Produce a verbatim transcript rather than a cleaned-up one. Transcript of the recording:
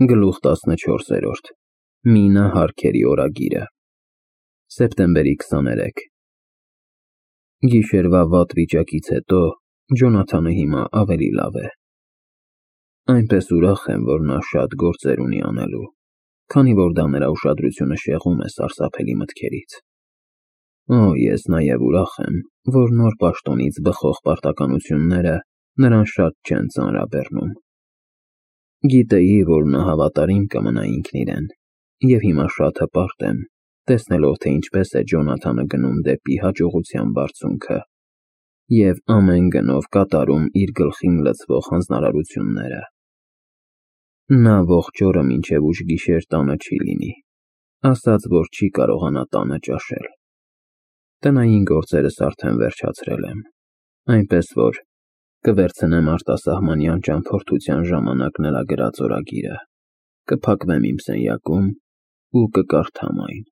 Գլուխ տասնչորսերորդ Մինա Հարքերի օրագիրը Սեպտեմբերի քսաներեքը Գիշերվա վատ վիճակից հետո Ջոնաթանը հիմա ավելի լավ է։ Այնպես ուրախ եմ, որ նա շատ գործեր ունի անելու, քանի որ դա նրա ուշադրությունը շեղում է սարսափելի մտքերից։ Օ, ես նաև ուրախ եմ, որ նոր պաշտոնից բխող պարտականությունները նրան շատ չեն ծանրաբեռնում։ Գիտեի, որ նա հավատարիմ կմնա ինքն իրեն, և հիմա շատ հպարտ եմ, տեսնելով, թե ինչպես է Ջոնաթանը գնում դեպի հաջողության բարձունքը և ամեն գնով կատարում իր գլխին լցվող հանձնարարությունները։ Նա ողջ օրը մինչև ուշ գիշեր տանը չի լինի, ասաց, որ չի կարողանա տանը ճաշել։ Տնային գործերս արդեն վերջացրել եմ, այնպես որ կվերցնեմ արտասահմանյան ճամփորդության ժամանակ նրա գրած օրագիրը, կփակվեմ իմ սենյակում ու կկարդամ այն։